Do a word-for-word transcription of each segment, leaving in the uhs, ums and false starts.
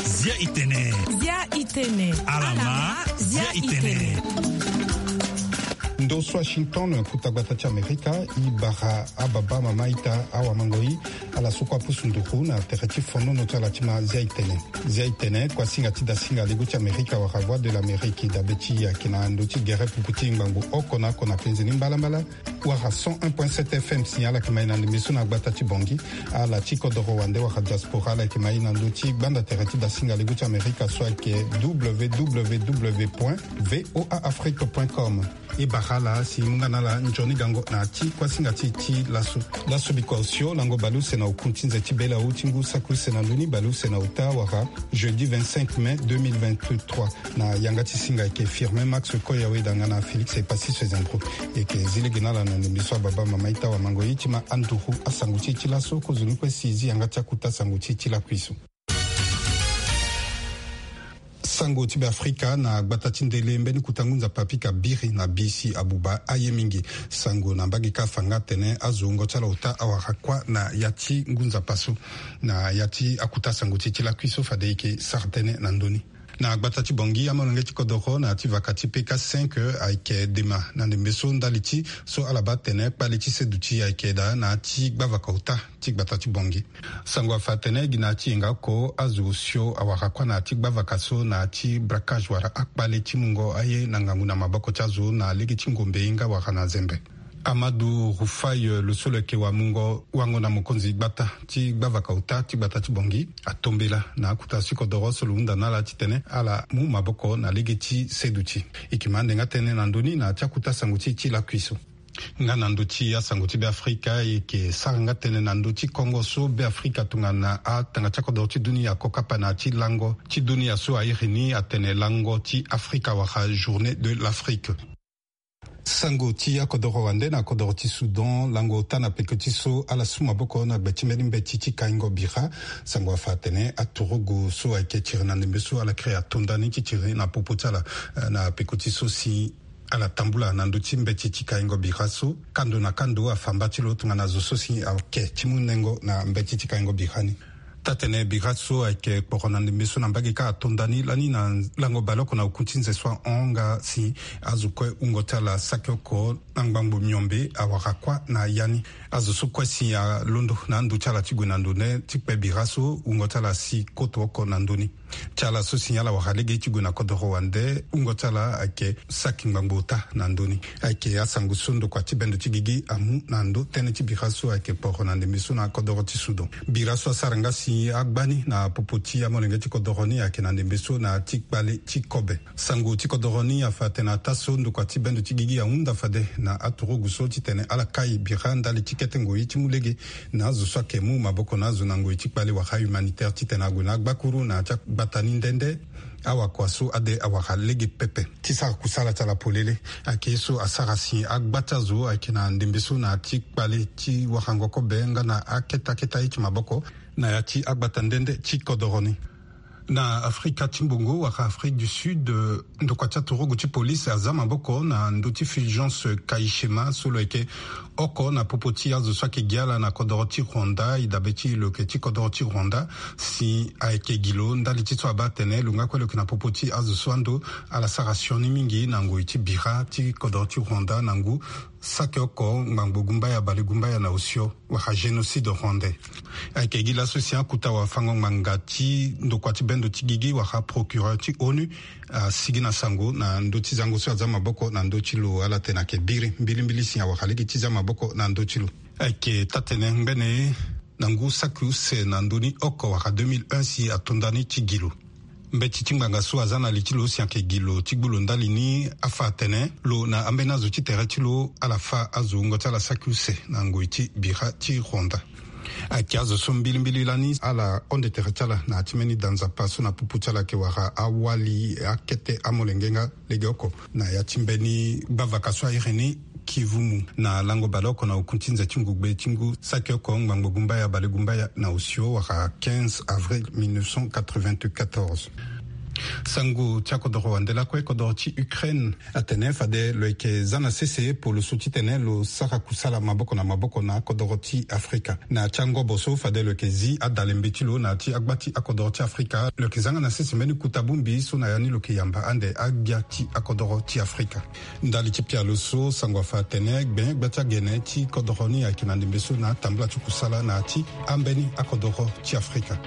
Zia itene. Zia itene. Ndo so Washington, kuta gbata ti Amerika. I bara ababa mama ita awamangoi ala so kue apusu nduru na tere ti fonono ti ala ti ma Zia itene. Zia itene, kuasinga ti dasinga lego ti Amerika wala Voix de l'Amérique, dabe ti ayeke na ndo ti gere pupu ti ngbangbo oko na oko na penze ni mbalambala. Wala cent un point sept F M si ala yeke ma e na ndembe so na gbata ti Bangui. Ala ti kodoro wande wala diaspora ala yeke ma e na ndö ti gbanda tere ti dasinga lego ti Amerika so ayeke www point voa afrique point com. E bara ala si e mu nga na ala nzoni gango na ya ti kuasinga ti e ti laso. Laso bikua osio lango baleuse na oku ti nze ti bela awu ti ngu saki use na ndö ni baleuse na ota wala jeudi vingt-cinq mai deux mille vingt-trois. Na yanga ti singa ayeke Firmin Max Koyawe danga na Félix Epassis Sezendro. E yeke zi lege na ala na ndembe so ababa mama ita wamango ye ti ma anduru asango ti e ti laso. Kozoni kue si e zi yanga ti akuta sango ti e ti lakui so. Sango ti Beafrika na gbata ti ndele mbeni kuta ngu nzapa apika biri na bisi abuba aye mingi. Sango na mbage kâ afa nga atene azo wungo ti ala ota awara kuâ na ya ti ngu nzapa so. Na ya ti akuta sango ti e ti lakui so fade e yeke sara tënë na ndö ni. Na gbata ti Bangui amolenge ti kodoro na ya ti vaka ti P K cinq ayeke dema na ndembe so ndali ti so ala baa atene kpale ti seduti ayeke daa na ya ti gbavaka ota ti gbata ti Bangui. Sango afa atene gi na ya ti yenga oko azo osio awara kuâ na ya ti gbavaka so na ya ti braquage wala akpale ti mungo aye na ngangu na maboko ti azo na lege ti ngombe ye nga wara na zembe. Amadou Rufai, eh, lo so lo yeke wamungo wango na mokonzi gbata ti gbavaka ota ti gbata ti Bangui atombela na akuta ti kodoro so lo hunda na ala titene ala mu maboko na lege ti seduti. E yeke ma ande nga tënë na ndö ni na ya ti akuta sango ti e ti lakui so. Nga na ndö ti asango ti Beafrika, e yeke sara nga tënë na ndö ti kongo so Beafrika tongana atanga ti akodoro ti dunia ako kapa na ya ti lango ti dunia so a iri ni atene lango ti Afrika wala Journée de l'Afrique. Sango ti akodoro wande na kodoro ti Soudan, lango ota na peko ti so ala su maboko na gbe ti mbeni mbeti ti kaingo bira. Sango afa atene aturugu so ayeke tiri na ndembe so ala kiri ato nda ni ti tiri na popo ti ala, eh, na peko ti so si ala tambula na ndö ti mbeti ti kaingo bira so. Kando na kando afa mba ti lo tongana zo so si ayeke ti mu nengo na mbeti ti kaingo bira ni. Taa-tene bira so ayeke kporo na ndembe so na mbage kâ ato nda ni lani na lango baleoko na oku ti nze so ahon nga si azo kue wungo ti ala saki oko na ngbangbo miombe awara kuâ na ya ni. Azo so kue si alondo na ando ti ala ti gue na ndo nde ti kpe bira so wungo ti ala si koto oko na ndö ni. Ti ala so si ala wara lege ti gue na kodoro wande wungo ti ala ayeke saki ngbangbo ota na ndö ni. Ayeke asango so ndokua ti bendo ti gigi amu na ndö tënë ti bira so ayeke kporo na ndembe so na kodoro ti Soudan. Bira so asara nga si agba ni na popo ti amolenge ti kodoro ni ayeke na ndembe so na ya ti kpale ti kobe. Sango ti kodoro ni afa atene ataa so ndokua ti bendo ti gigi ahunda fade na aturugu so titene ala kai bira ndali ti kete ngoi ti mu lege na azo so ayeke mu maboko na azo na ngoi ti kpale wala humanitaire titene ague na agbakuru na ya ti agbata ni nde nde. Awakua so ade awara lege pepe ti sara kusala ti ala polele. Ayeke ye so asara si agba ti azo ayeke na ndembe so na ya ti kpale ti warango kobe nga na akete akete aye ti maboko na ya ti agbata nde nde ti kodoro ni. Na Afrika ti mbongo wala Afrique du Sud, eh, ndokua ti aturugu ti polise aza maboko na ndö ti Fulgence Kayishema so lo yeke oko na popo ti azo so ayeke gi ala na kodoro ti Rwanda, e dabe ti lo yeke ti kodoro ti Rwanda, si ayeke gi lo ndali ti so abaa atene lo nga kue lo yeke na popo ti azo so ando ala sara sioni mingi na ngoi ti bira ti kodoro ti Rwanda na ngu saki oko ngbangbo gumbaya bale gumbaya na osio wala génocide rwandais. Ayeke gi laso si akuta wafango ngbanga ti ndokua ti bendo ti gigi wala procureur ti onu asigi na sango na ndö ti zango so aza maboko na ndö ti lo. Ala tene ayeke biri mbilimbili si awara lege ti za maboko na ndö ti lo. Ayeke taa-tene ngbene na ngu saki use na ndö ni oko wala deux mille un si ato nda ni ti gi lo. Mbeti ti ngbanga so aza na li ti lo si ayeke gi lo ti gbu lo ndali ni afa atene lo na ambeni azo ti tere ti lo ala fâ azo wungo ti ala saki use na ngoi ti bira ti Rwanda. Ayeke azo so mbilimbili lani ala honde tere ti ala na ya ti mbeni da nzapa so na popo ti ala ayeke wara awali akete amolenge nga legeoko na ya ti mbeni gbavaka so a iri ni Kivumu na lango baleoko na oku ti nze ti ngugbe ti ngu saki oko ngbangbo gumbaya bale gumbaya na osio wala quinze avril mille neuf cent quatre-vingt-quatorze. Sango ti akodoro wande lakue kodoro ti Ukraine atene fade lo yeke za na sese polo so titene lo sara kusala maboko na maboko na akodoro ti Afrika. Na ya ti angobo so fade lo yeke zi adale mbeti lo na ya ti agba ti akodoro ti Afrika, lo yeke za nga na sese mbeni kota bongbi so na ya ni lo yeke yamba ande agbia ti akodoro ti Afrika. Ndali ti pialo so sango afa atene gbenye gba ti agene ti kodoro ni ayeke na ndembe so na atambula ti kusala na ya ti ambeni akodoro ti Afrika.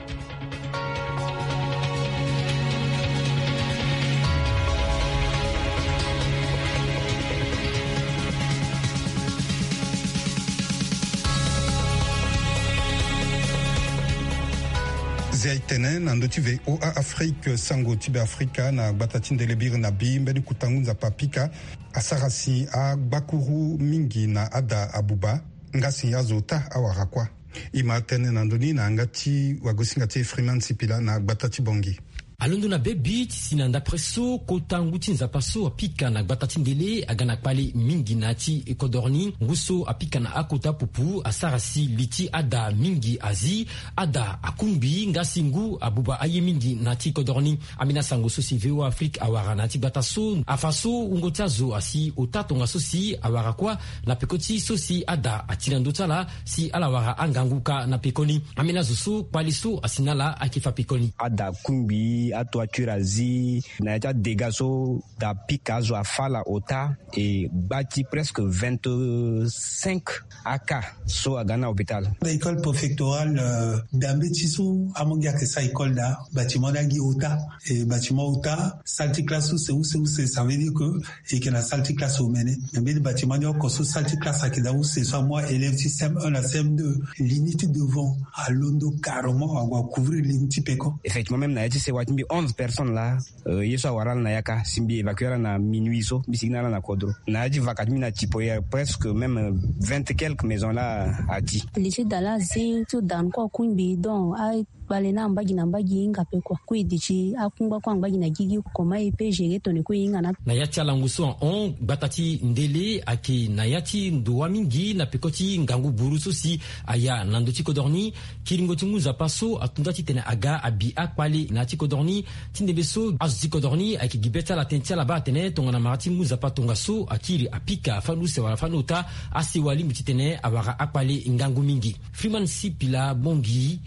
Zia e tene na ndö ti V O A Afrique, sango ti Be Afrika na gbata ti ndele biri na bi mbeni kutangu nzapa apika asara si agbakuru mingi na ada abuba, nga si azo ota awara kuâ. E ma tene na ndö ni na yanga ti wagosinga ti Freeman Sipila na gbata ti Bangui. Alondo na bebi ti si na ndapre so kota ngu ti nzapa so apika na gbata ti ndele aga na kpale mingi na ya ti kodoro ni. Ngu so apika na akota pupu asara si li ti ada mingi azi, ada akungbi nga si ngu abuba aye mingi na ya ti kodoro ni. Ambeni asango so si V O A Afrique awara na ya ti gbata so afa so wungo ti azo asi ota tongaso si awara kuâ na peko ti so si ada ati na ndö ti ala si ala wara angangu ka na pekoni. Ambeni azo so kpale so asi na ala ayeke fa pekoni. Ada akungbi, atoiture azi, na ya ti adega so da pika azo afa ala ota, e gba ti presque vingt-cinq A K so aga na hôpital. École préfectorale, euh, da mbeti so amongi ayeke sara école da, bâtiment ni agi ota. E bâtiment ota, salle ti classe use use use, ça veut dire que e yeke na salle ti classe omene. Mais mbeni bâtiment ni oko so salle ti classe ayeke da use so amu élève ti C M un na C M deux, li ni ti devant alondo carrément, ague acouvrir li ni ti peko. Effectivement, même na ya ti sewa ti mbi, onze personnes laa, euh, ye so awara ala na yaka si mbi évacuer ala na minuit so, mbi sigi na ala na kodro. Na ya ti vaka ti mbi na Tipoyer, presque même, euh, vingt quelques maisons laa ati. Li ti da laa azi ti da ni kue akungbi, donc a kpale na mbagi na mbagi e hinga pe kua. Kue e duti akungba kue na mbagi na gigi, comment e peut gérer tongana e kue e hinga na. Na ya ti alango so ahon, gbata ti ndele ayeke na ya ti ndo wâ mingi na peko ti ngangu buru so si aya na ndö ti kodro ni. Kiringo ti ngu nzapa so ato nda titene aga abi akpale na ya ti kodro ni. Ti ndembe so azo ti kodro ni ayeke gi be ti ala tënë ti ala baa atene tongana mara ti ngu nzapa tongaso akiri apika fani use wala fani ota, asewa lingbi titene awara akpale ngangu mingi. Freeman Sipila Bongi,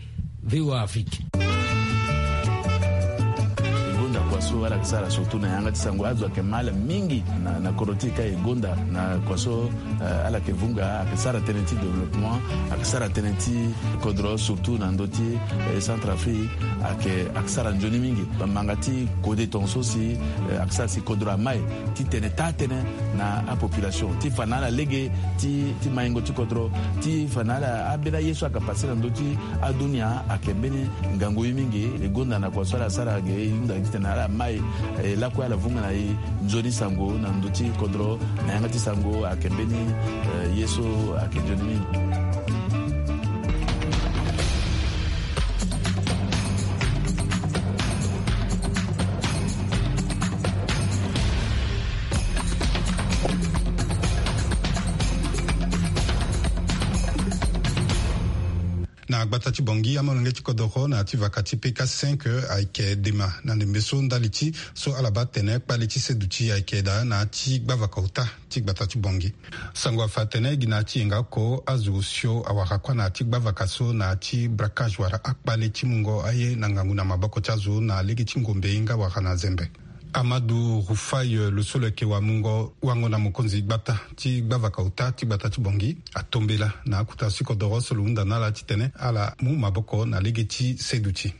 V O A Afrique. E gonda kua so ala yeke sara surtout na yanga ti sango, azo ayeke ma ala mingi na, na kodro ti e ka e gonda na kua so, eh, ala yeke vunga, ayeke sara tënë ti développement, ayeke sara tënë ti kodro surtout na ndö ti, eh, Centrafrique, ayeke, ayeke sara nzoni mingi. Bamanga ti kode tongaso si, eh, ayeke sara si kodro amai titene taa tënë na apopulation ti fa na ala lege ti, ti maingo ti kodro, ti fa na ala ambeni aye so ayeke pase na ndö ti adunia ayeke mbeni ngangu ye mingi. E gonda na kua so ala sara ge e hunda titene ala mai, eh, lakue ala vunga na e nzoni sango na ndö ti kodro, na yanga ti sango ayeke mbeni, eh, ye so ayeke nzoni mingi. Na gbata ti Bangui, amolenge ti kodoro na ya ti vaka ti P K cinq ayeke dema na ndembe so ndali ti so ala baa tene kpale ti seduti ayeke daa na ya ti gbavaka ota ti gbata ti Bangui. Sango afa atene gi na ya ti yenga oko azo osio awara kuâ na ya ti gbavaka so na ya ti braquage wala akpale ti mungo aye na ngangu na maboko ti azo na lege ti ngombe nga wala na zembe. Amadou Rufai, lo so lo yeke wamungo wango na mokonzi gbata ti gbavaka ota ti gbata ti Bangui, atombela na akota ti kodoro so lo hunda na ala titene ala mu maboko na lege ti seduti.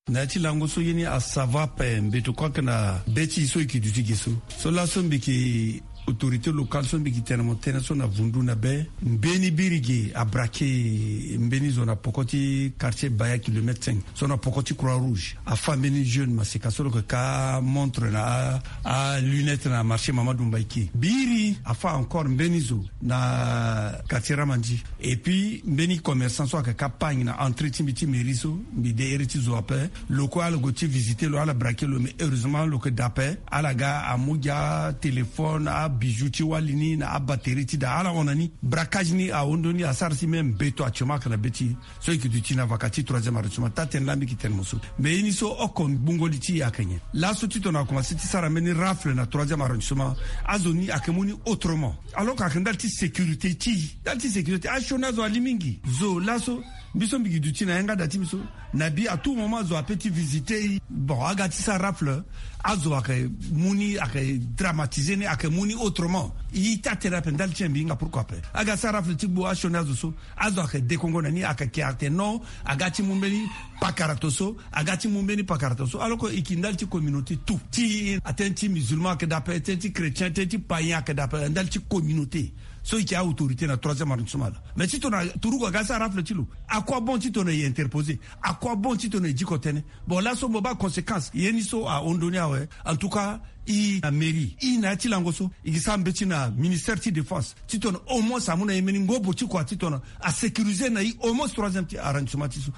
Na ya ti lango so ye ni asava ape, mbeto kue ayeke na be ti e so e yeke duti ge so. So laso mbi yeke autorité locale so mbi yeke tene mo tënë so na vundu na be, mbeni biri ge abraquer mbeni zo na poko ti quartier Baya kilomètre cinq, so na poko ti Croix Rouge. Afa mbeni jeune maseka so lo yeke ka montre na a, alunette na marché Mamadou Mbaïké. Biri afa encore mbeni zo na quartier Ramandi. Et puis mbeni commerçant so ayeke ka pagni na entrée ti mbi ti mairie so, mbi de iri ti zo ape. Lo kue ala gue ti visiter lo, ala braquer lo, mais heureusement lo yeke da ape. Ala ga amu gi atéléphone, a Bijou ti wali ni na abatterie ti daa ala hon na ni. Braquage ni ahon ndoni asara si même beto actuellement ayeke na be ti so e yeke duti na vaka ti troisième arrondissement. Taa-tënë laa mbi yeke tene mo so. Mais ye ni so oko gbungo li ti e ayeke nyen? Laso titene akomanse ti sara mbeni rafle na troisième arrondissement, azo ni ayeke mu ni autrement. Alors que ayeke ndali ti sécurité ti e, ndali ti sécurité asioni azo ali mingi. Zo laso mbi so mbi gi duti na yanga da ti mbi so, na bi à tout moment zo ape ti visiter e. Bon, aga ti sara rafle, azo ayeke mu ni, ayeke dramatiser ni, ayeke mu ni autrement. E taa-tënë ape ndali ti e mbi hinga pourquoi ape. Aga sara rafle ti gbu asioni azo so, azo ayeke dekongo na ni, ayeke ke atene non, aga ti mu mbeni pakara to so, aga ti mu mbeni pakara to so. Alors que e yeke ndali ti communauté tout ti, atënë ti musulman ayeke daa ape, tënë ti chrétien, tënë ti païen ayeke daa ape, ndali ti communauté. So e yeke autorité na troisième arrondissement laa. Mais titene aturugu aga sara rafle ti lo, à quoi bon titene e interposer? À quoi bon titene e diko tënë? Bon, laso mo baa conséquence ye ni so ahon ndoni awe. En tout cas, e na mairie, e na ya ti lango so, e gi sara mbeti na ministère ti défense titene au moins amu na e mbeni ngobo ti kua titene asécuriser na e au moins troisième ti arrondissement ti so.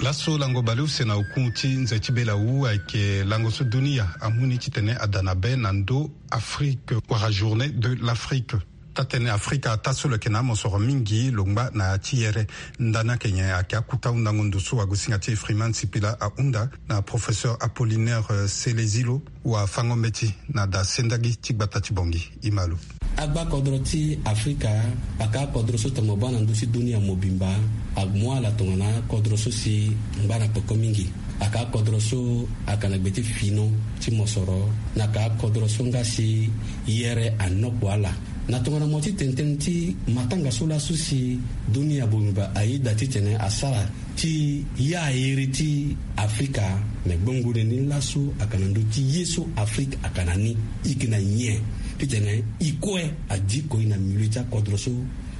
Laso lango baleuse na oku ti nze ti bela wu ayeke lango so dunia amu ni titene ada na be na ndö Afrique wala journée de l'Afrique. Taa-tënë Afrika ataa so lo yeke na amosoro mingi lo ngba na ya ti yere. Ndani ayeke nyen? Ayeke akota hundango ndo so wagosinga ti e Freeman Sipila ahunda na professeur Apollinaire, euh, Selezilo, wafango-mbeti na da sendagi ti gbata ti Bangui. E ma lo. Agba kodro ti Afrika ayeke akodro so tongana mo baa na ndö ti dunia mobimba, amu ala tongana akodro so si ngba na peko mingi. Ayeke akodro so ayeke na gbe ti fino ti mosoro, na ayeke akodro so nga si yere anokpo ala. Na tongana mo ti tene tënë ti matanga so laso si dunia mobimba ayeda titene asara ti ya iri ti Afrika, me gbongo ni laso ayeke na ndö ti ye so Afrika ayeke na ni. E yeke na nyen titene e kue adiko e na milieu ti akodro so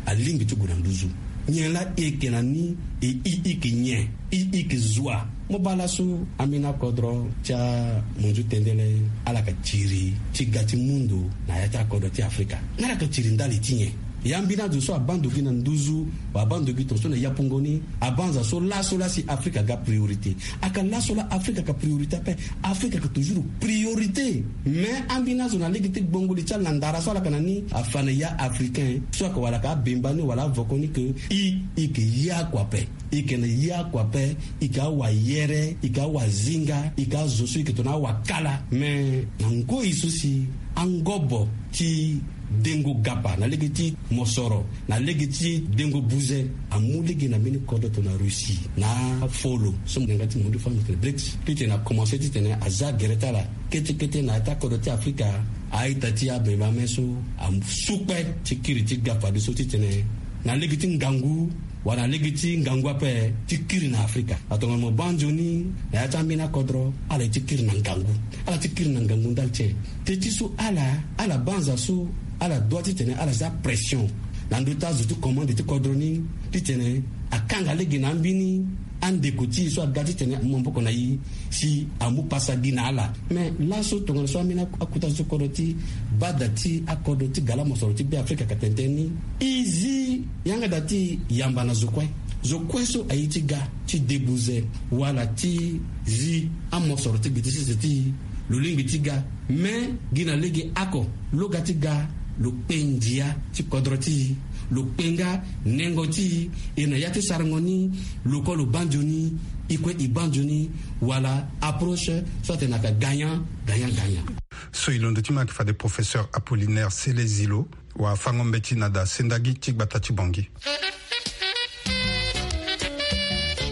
alingbi ti gue na nduzu? Nyen laa e yeke na ni? E, e, e yeke nyen? E, e yeke zo wa? Mo baa laso ambeni akodro ti amunzu tendele ala yeke tiri ti ga ti mu ndo na ya ti akodro ti Afrika. Nga ala yeke tiri ndali ti nyen? Ya ambeni azo so abaa ndo gi na nduzu, wala abaa ndo gi tongaso na yapungo ni, abanza so laso laa si Afrika aga priorité. Ayeke laso laa Afrika ayeke priorité ape. Afrika ayeke toujours priorité. Mais ambeni azo na lege ti gbongo li ti ala na ndara so ala yeke na ni afa na ya Africain so ayeke wala ayeke abemba ni wala avoko ni ke e, e yeke ya kua ape. E yeke na ya kua ape, e yeke awayere, e yeke awazinga, e yeke azo so e yeke tongana awakala. Mais na ngoi so si angobo ti dengo gapa na lege ti mosoro, na lege ti dengo buze, amu lege na mbeni kodro tongana Russie na afolo so mo yanga ti mo ndo fani mo tene BRICS. Titene akomanse titene aza gere ti ala kete kete na ya ti akodro ti Afrika. A-ita ti abembe ame so asu kpe ti kiri ti ga fadeso titene na lege ti ngangu wala na lege ti ngangu ape ti kiri na Afrika. Atongana mo baa nzoni na ya ti ambeni akodro, ala ye ti kiri na ngangu. Ala ti kiri na ngangu ndali ti nyen? Teti so ala, ala banza so ala dua titene ala za pression na ndö ti azo ti commande ti kodro ni titene akanga lege na ambeni andeko ti e so aga titene amu maboko na e si amu pasa gi na ala. Me laso tongana so ambeni akota zo ti kodro ti bada ti akodro ti gala mosoro ti Beafrika ayeke tene tënë ni, e zi yanga da ti e yamba na zo kue. Zo kue so aye ti ga ti debuze wala ti zi amosoro ti gbe ti sese ti e, lo lingbi ti ga. Me gi na lege oko, lo ga ti ga, lo kpe ndia ti kodro ti e, lo kpe nga nengo ti e. E na ya ti sarango ni, lo kue lo baa nzoni, e kue e baa nzoni, wala approche so atene ayeke gagnant gagnant gagnant. So e londo ti ma ayeke fade professeur Apollinaire Selezilo, wafango-mbeti na da sendagi ti gbata ti Bangui.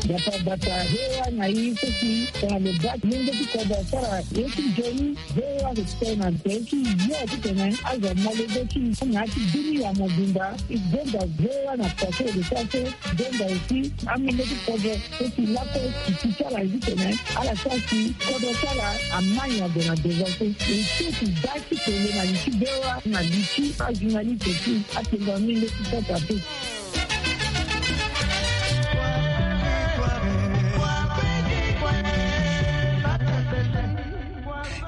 Bata bata, V O A na e so si tongana lo baa ti mungo ti kodro asara ye ti nzoni. V O A ayeke tene na tere ti yo titene azo amolenge ti e na ya ti dunia mobimba. E gonda V O A na kua so e lo sara so, e gonda aussi amolenge ti kodro so si lakue e ti ti ala titene ala sara si kodro ti ala amai ade na devant so. E so si da ti tene na li ti V O A na li ti ajournaliste ti atengua mingi ti kota te.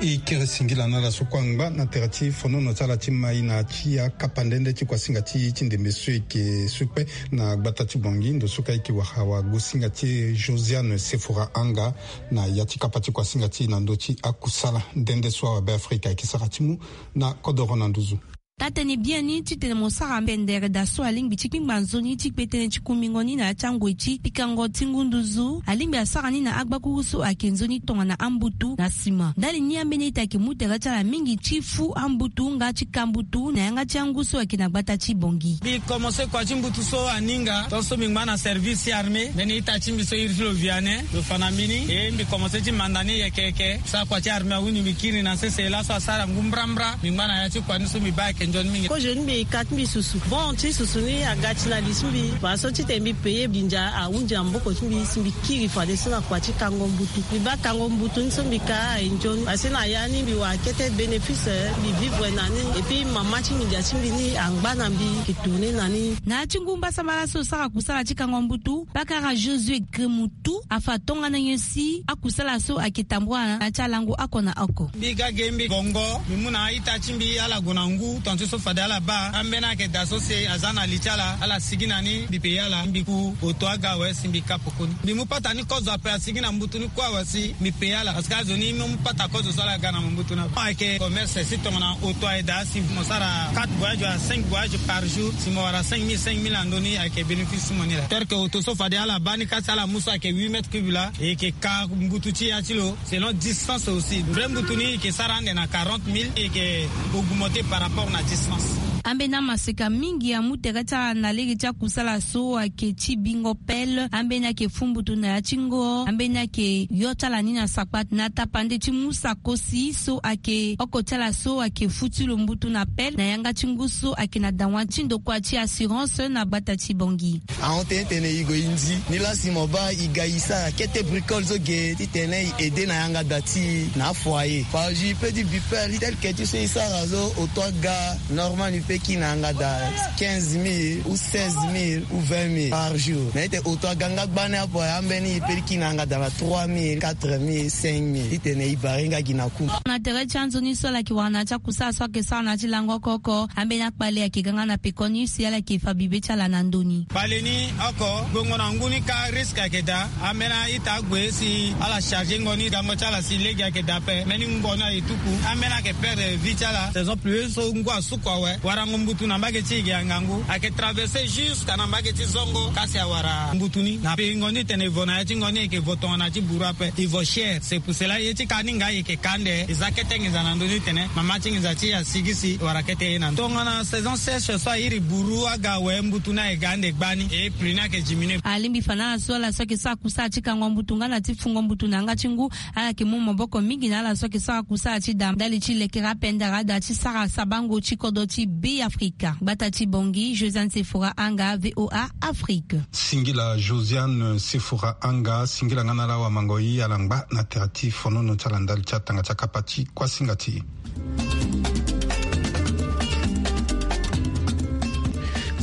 E kiri singila na ala so kue angba na tere ti fonono ti ala ti mai na ti akapa nde nde ti kuasinga ti e ti ndembe so e yeke so kpe na gbata ti Bangui, ndo so ka e yeke wara wagosinga ti e Josiane Sefora Anga na ya ti kapa ti kuasinga ti e na ndö ti akusala nde nde so awabe Afrika ayeke sara ti mu na kodoro na nduzu. Taa-tënë biani titene mo sara pendere daa so alingbi ti kpingba nzoni ti kpe tënë ti kumbingo ni na ya ti angoi ti pikango ti ngu nduzu, alingbi asara ni na agbakuru so ayeke nzoni tongana ambutu na sima. Ndali ni ambeni ita ayeke mu tere ti ala mingi ti fu ambutu nga ti ka mbutu na yanga ti angu so ayeke na gbata ti Bangui. Mbi komanse kua ti mbutu so aninga tongaso mbi ngba na service ti armée, mbeni ita ti mbi so iri ti lo Vianney lo fa na mbi ni, e mbi komanse ti manda ni yeke yeke. Sara kua ti armée ahuni mbi kiri na sese laso asara ngu mbrambra. Mbi ngba na ya ti kua ni so mbi baa ayeke nzoni mingi. Kozo ni mbi ka ti mbi susu. Bon ti susu ni aga ti na li ti mbi. Fadeso titene mbi paye binza ahunzi na maboko ti mbi si mbi kiri fadeso na kua ti kango mbutu. Mbi baa kango mbutu ni so mbi ka aye nzoni. Fadeso na ya ni mbi wara kete bénéfice, mbi vivre na ni. Et puis mama ti nginza ti mbi ni angba na mbi, mbi tourner na ni. Na ya ti ngu mbasambala so sara kusala ti kango mbutu, Bakara Josué Gremutu afa tongana nyen si akusala so ayeke tambula na ya ti alango oko na oko. Mbi ga ge mbi bongo, mbi mu na a-ita ti mbi ala gue na ngu, tongana ti so fade ala baa. Ambeni ayeke daa so si aza na li ti ala, ala sigi na ni, mbi paye ala, mbi ku oto aga awe si mbi ka pekoni. Mbi mu pata ni kozo ape asigi na mbutu ni kue awe si mbi paye ala. Parce que azo ni mbi mu pata kozo so ala ga na mo mbutu ni ape. Ayeke commerce si tongana oto aye daa si mo sara quatre voyages à cinq voyages par jour, si mo wara cinq mille, cinq mille na ndö ni ayeke bénéfice ti mo ni laa. Tel que oto so fade ala baa ni ka si ala mu so ayeke huit mètres cubes laa, e yeke ka mbutu ti ya ti lo selon distance aussi. Vrai mbutu ni e yeke sara ande na quarante mille, e yeke augmenter par rapport na distance. Ambeni amaseka mingi amu tere ti ala na lege ti akusala so ayeke ti bingo pelle, ambeni ayeke fu mbutu na ya ti ngo, ambeni ayeke yo ti ala ni na sakpate na tapande ti mu sakosi so ayeke oko ti ala so ayeke fu ti lo mbutu na pelle na yanga ti ngu so ayeke na dawa ti ndokua ti assurance na gbata ti Bangui. Ahon tënë tene e gue e nzi ni laa si mo baa e ga e sara kete bricole so ge titene e aide na yanga da ti e na afoyer. Fadeso e peut ti bi pelle tel que ti so e sara so oto aga normal ni peut kiri na yanga da quinze mille ou seize mille ou vingt mille par jour. Mais ete oto aga nga gbani apo ambeni e peut ti kiri na yanga da na trois mille, quatre mille, cinq mille. Titene e bare nga gi na ku. Na tere ti anzoni so ala yeke wara na ya ti akusala so ayeke sara na ya ti lango oko oko, ambeni akpale ayeke ga nga na pekoni si ala yeke fa bibe ti ala na ndö ni. Kpale ni oko, gbongo na ngu ni ka risque ayeke daa. Ambeni a-ita ague si ala charger ngo ni, gango ti ala si lege ayeke daa ape. Mbeni ngu ni aye tuku, ambeni ayeke perdre vie ti ala. Saison pluvieuse so ngu asuku awe, warango mbutu na mbage ti e ge angangu. Ayeke traverser jusqu'à na mbage ti zongo ka si awara mbutu ni. Na peingo ni tene e vo na ya ti ngo ni e yeke vo tongana ti buru ape, e vo cher. C'est pour cela ye ti ka ni nga e yeke ka ande, e za kete nginza na ndö ni tene mama ti nginza ti e asigi si e wara kete ye na ndö. Tongana saison sèche so airi buru aga awe, mbutu ni ayeke ga ande gbani, e prix ni ayeke diminuer. Alingbi fa na ala so ala so ayeke sara kusala ti kango mbutu nga na ti fungo mbutu na yanga ti ngu, ala yeke mu maboko mingi na ala so ayeke sara kusala ti da ndali ti lekere apendere ada ti sara sabango ti kodro ti Beafrika. Gbata ti Bangui, Josiane Sefora Anga, V O A Afrique. Singila Josiane Sefora Anga, singila nga na ala wamango-i ala ngba na tere ti fonono ti ala ndali ti atanga ti akapa ti kuasinga ti e.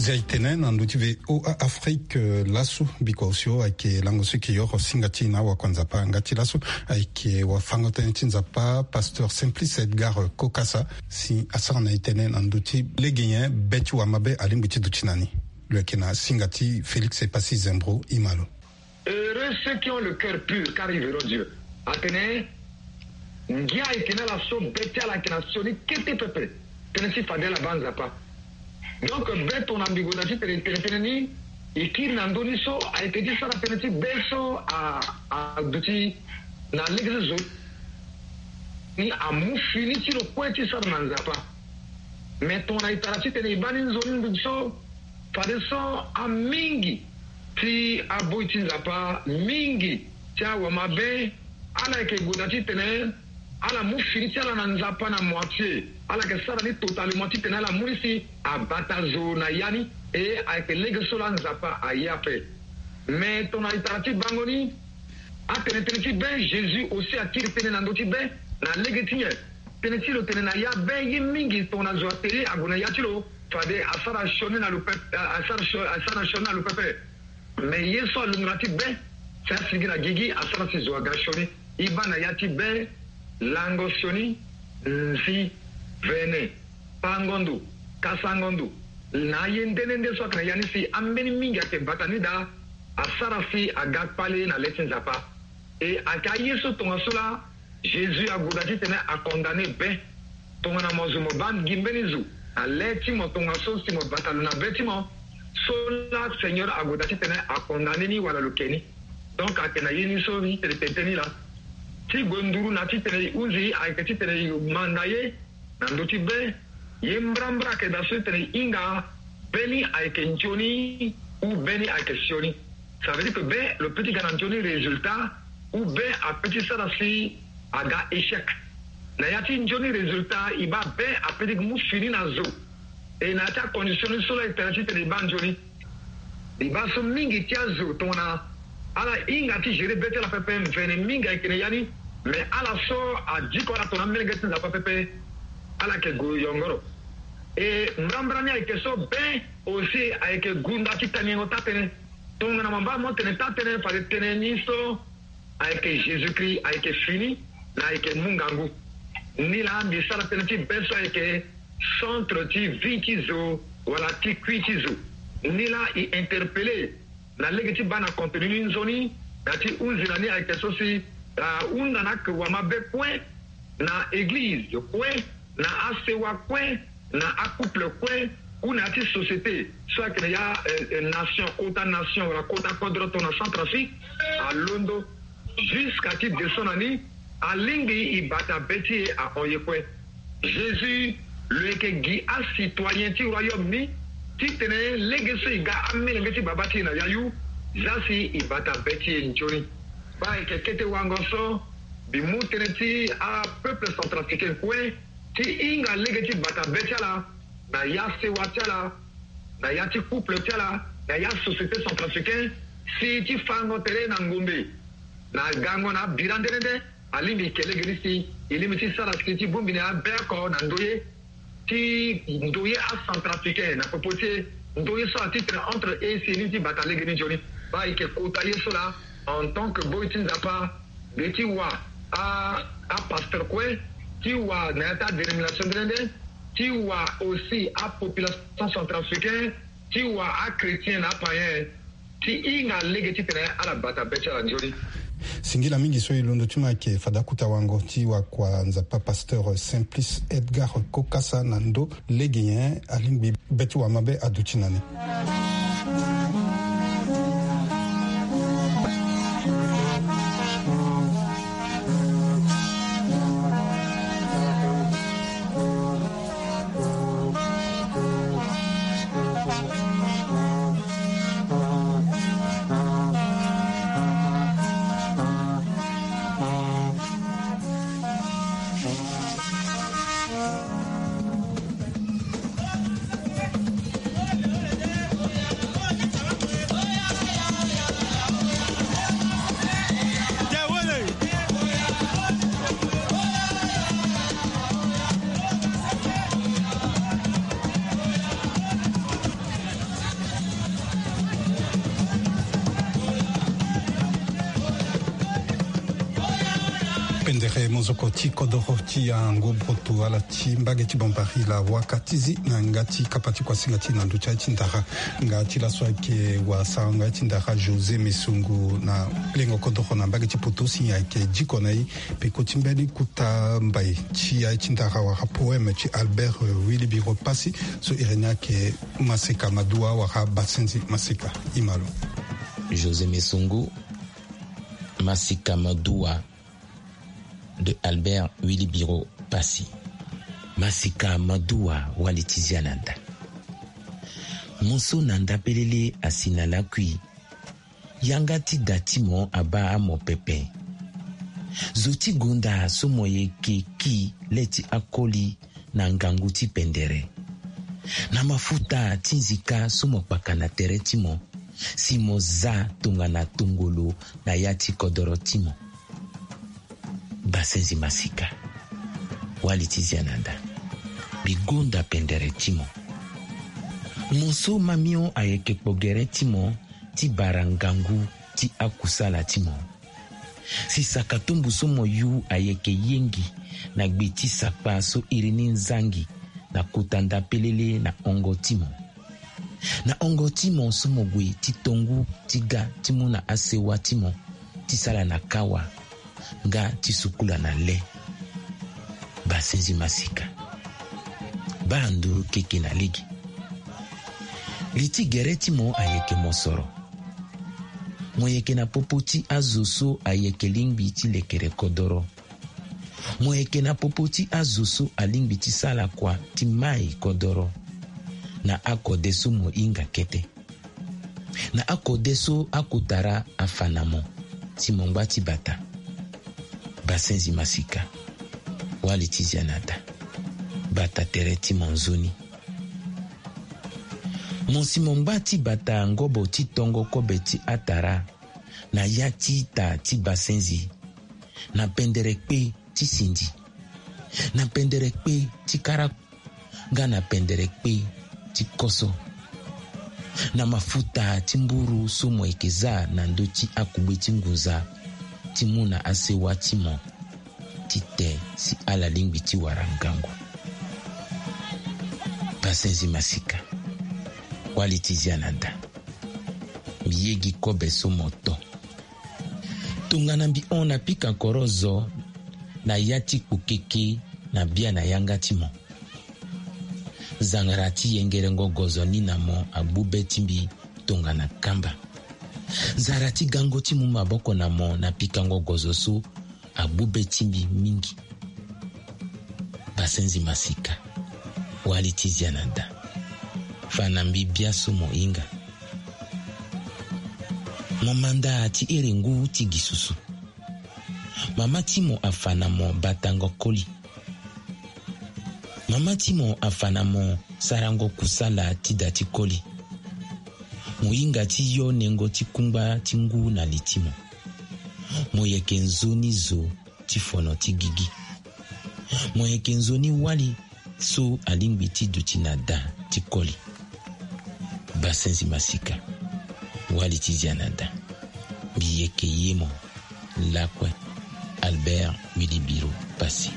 Zia e tene na ndö ti V O A Afrique, eh, laso biko osio ayeke lango so e yeke yoro singa ti e na awakuanzapa nga ti laso ayeke wafango-tënë ti Nzapa, pasteur Simplice Edgar Kokasa, si asara na e tënë na ndö ti lege nyen be ti wamabe alingbi ti duti na ni. Lo yeke na singa ti Félix Epassi Zembro, e ma lo. Heureux ceux qui ont le cœur pur, car ils verront Dieu. Atene, ngia ayeke na ala so be ti ala ayeke na sioni kete pepe. Tënë ti fade ala baa Nzapa. Donc be tongana mbi gue na ti tene tene tënë ni, e kiri na ndö ni so ayeke ti sara tënë ti be so a, aduti na lege so zo ni amu fini ti lo kue ti sara na Nzapa. Me tongana e tara titene e baa ni nzoni nduzu so, fadeso amingi ti aboi ti Nzapa, mingi ti awamabe, ala yeke gue na titene ala mu fini ti ala na Nzapa na moitié. Ala yeke sara ni totalement titene ala mu ni si abata zo na ya ni. E ayeke lege so laa Nzapa aye ape. Me tongana e tara ti bango ni, atene tënë ti be, Jésus aussi akiri tënë na ndö ti be na lege ti nyen? Tënë ti lo tene na ya be ye mingi tongana zo atene ague na ya ti lo, fade asara sioni na lo pepe, asara sio-, asara sioni na lo pepe. Me ye so alunga na ti be, si asigi na gigi asara si zo aga sioni. E baa na ya ti be, lango sioni, nzi, vene, pango ndo, kasango ndo, na aye nde nde nde so ayeke na ya ni si ambeni mingi ayeke bata ni daa, asara si aga kpale na le ti Nzapa. E ayeke aye so tongaso laa Jésus ague daa titene acondamné be. Tongana mo zo mo baa gi mbeni zo na le ti mo tongaso si mo bata lo na be ti mo, so laa Seigneur ague daa titene acondamné ni wala lo ke ni. Donc ayeke na ye ni so titene tene ni laa. Ti gue nduru na titene e hunzi ayeke titene e manda ye na ndö ti be. Ye mbrambra ayeke daa so titene e hinga be ni ayeke nzoni ou be ni ayeke sioni. Ça veut dire que be lo peut ti ga na nzoni résultat ou be apeut ti sara si aga échec. Na ya ti nzoni résultat e baa be apeut ti mu fini na zo. E na ya ti acondition ni so laa e tene titene e baa nzoni. E baa so mingi ti azo tongana ala hinga ti gérer be ti ala pepe, mvene mingi ayeke na ya ni. Mais ala so adiko ala tongana amelenge ti Nzapa pepe, ala yeke gue yongoro. E mbrambra ni ayeke so be aussi ayeke gunda ti tangengo taa-tënë. Tongana mo baa mo tene taa-tënë fade tënë ni so ayeke Jésus-Christ ayeke fini na ayeke mu ngangu. Ni laa mbi sara tënë ti be so ayeke centre ti vie ti zo wala ti kui ti zo. Ni laa e interpellé na lege ti baa na contenu ni nzoni na ti hunzi na ni ayeke so si ahunda na ake wamabe kue, na église kue, na asewa kue, na acouple kue, ou na ya ti société so ayeke na ya, eh, eh, nation, kota nation wala kota kodro tongana Centrafrique, alondo jusqu'à ti descend na ni, alingbi e bata be ti e ahon ye kue. Jésus lo yeke gi acitoyen ti royaume ni titene lege so e ga amelenge ti baba ti e na yayu, za si e bata be ti e nzoni. Baa e yeke kete wango so mbi mu tënë ti apeuple centrafricain kue ti hinga lege ti bata be ti ala na ya sewa ti ala, na ya ti couple ti ala, na ya société centrafricain, si ti fango tere na ngombe na gango na abira nde nde nde. Alingbi e ke lege ni si e lingbi ti sara si ti bongbi na abe oko na ndoye ti ndoye acentrafricain na popo ti e, ndoye so atitre entre e si e lingbi ti bata lege ni nzoni. Baa e yeke kota ye so laa en tant que boi ti Nzapa, mbi ye ti wa a, apasteur kue, ti wa na ya ti adénomination nde nde nde, ti wa aussi apopulation centrafricain, ti wa achrétien na apaïen, ti hinga lege titene ala bata be ti ala nzoni. Singila mingi so e londo ti mo ayeke fade akuta wango ti wakua Nzapa pasteur Simplice Edgar Kokasa na ndo lege nyen alingbi be ti wamabe aduti na ni. Pendere mozoko ti kodoro ti yango broto ala ti mbage ti Bambari la waka ti zi na yanga ti kapa ti kuasinga ti na ndo ti aye ti ndara. Nga ti laso ayeke wa sarango aye ti ndara José Mesongo na lengo kodoro na mbage ti poto si ayeke diko na e. Peko ti mbeni kota mbai ti aye ti ndara wala poème ti Albert, euh, Wilibiro Passy so iri ni ayeke Maseka Madua wala Basenzi Maseka. Imalo. José Mesongo, Maseka Madua de Albert Wilibiro Passy. Maseka Madua, wali ti zia na nda. Mo so na nda pelele asi na lakui. Yanga ti da ti mo abaa amo pepe. Zo ti gonda so mo yeke ki le ti akoli na ngangu ti pendere. Na mafuta ti nzika so mo kpaka na tere ti mo, si mo za tongana tongolo na ya ti kodoro ti mo. Basenzi Maseka, wali ti zia na nda, mbi gonda pendere ti mo. Mo so mamio ayeke kpo gere ti mo ti bara ngangu ti akusala ti mo. Si sakatumbu so mo yu ayeke yengi na gbe ti sakpa so iri ni nzangi na kota nda pelele na hongo ti mo. Na hongo ti mo so mo gue ti tongu ti ga ti mu na asewa ti mo ti sala na kawa nga ti sukula na le. Basenzi masika. Baa ndo keke na lege. Li ti gere ti mo ayeke mosoro. Mo yeke na popo ti azo so ayeke lingbi ti lekere kodoro. Mo yeke na popo ti azo so alingbi ti sala kua ti mai kodoro. Na akode so mo hinga kete. Na akode so akotara afa na mo si mo ngba ti bata. Basenzi masika. Wali ti zia na da. Bata tere ti mo nzoni. Mo si mo ngba ti bata ngobo ti tongo kobe ti atara na ya ti ita ti basenzi, na pendere kpe ti sindi, na pendere kpe ti kara, nga na pendere kpe ti koso, na mafuta ti mburu so mo yeke za na ndö ti akugbe ti ngunza ti mu na asewa ti mo ti te si ala lingbi ti wara ngangu. Basenzi masika. Wali ti zia na da. Mbi yegi kobe so mo to. Tongana mbi hon na pika koro zo na ya ti kpokeke na bia na yanga ti mo. Nzangara ti yengerengo gozo ni na mo agbu be ti mbi tongana kamba. Nzara ti gango ti mu maboko na mo na pikango gozo so agbu be ti mbi mingi. Basenzi masika. Wali ti zia na da. Fa na mbi bia so mo hinga. Mo manda ti ere ngu ti gi susu. Mama ti mo afa na mo batango koli. Mama ti mo afa na mo sarango kusala ti da ti koli. Mo hinga ti yo nengo ti kungba ti ngu na li ti mo. Mo yeke nzoni zo ti fono ti gigi. Mo yeke nzoni wali so alingbi ti duti na da ti koli. Basenzi masika. Wali ti zia na da. Mbi yeke ye mo. Lakue. Albert Willy Biro Passy.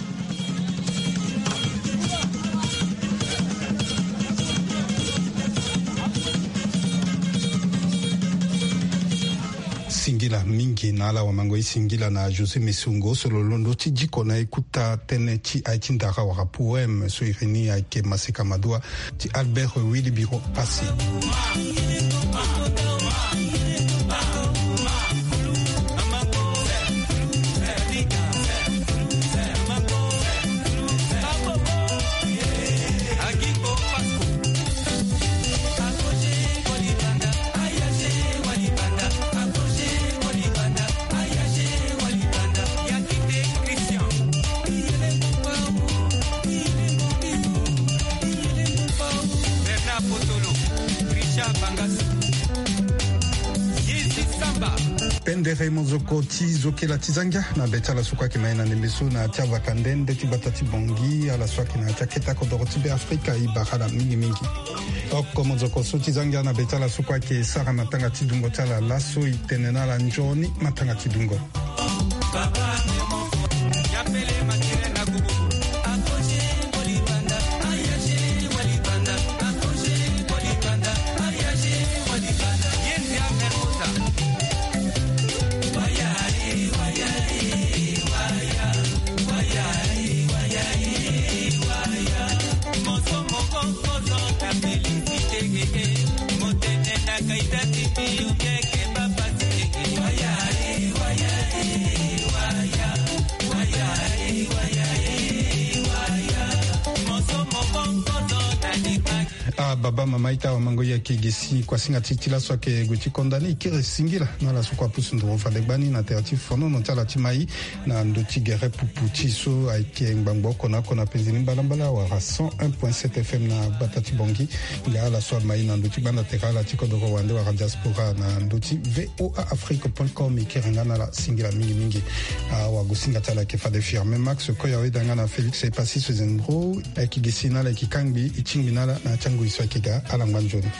Singila mingi na ala wamango e singila na José Mesongo so lo londo ti diko na e kuta tënë ti aye ti ndara wala poème so iri ni ayeke Maseka Madua ti Albert Willy Biro Passy. Pendere mozoko ti zokela ti zangia na be ti ala so kue ayeke ma e na ndembe so na ya ti avaka nde nde ti gbata ti Bongi, ala so ayeke na ya ti akete kodoro ti Be Afrika, e bara ala mingi mingi. Oko mozoko so ti zangia na be ti ala so kue ayeke sara matanga ti dungo ti ala laso, e tene na ala nzoni matanga ti dungo. Ah, baba, mama, ita, wamango, e yeke gi si kuasinga ti ti laso ayeke gue ti konda ni, e kiri singila na ala so kue apusu nduru fade gbani na tere ti fonono ti ala ti mai na ndö ti gere pupu ti so ayeke ngbangbo oko na oko na penzi ni mbalambala wala cent un point sept F M na gbata ti Bongi. Nga ala so ama e na ndö ti gbanda tere ala ti kodoro wande wala diaspora na ndö ti V O A Afrique point com, e kiri nga na ala singila mingi mingi. Awagosinga ti ala ayeke fade Firmin Max Koya, weda nga na Félix Epassi Sezendro. Ayeke gi si na ala, ayeke kangbi, e tingbi na ala na ya ti angoi so ayeke ga. Ala ngba nzoni.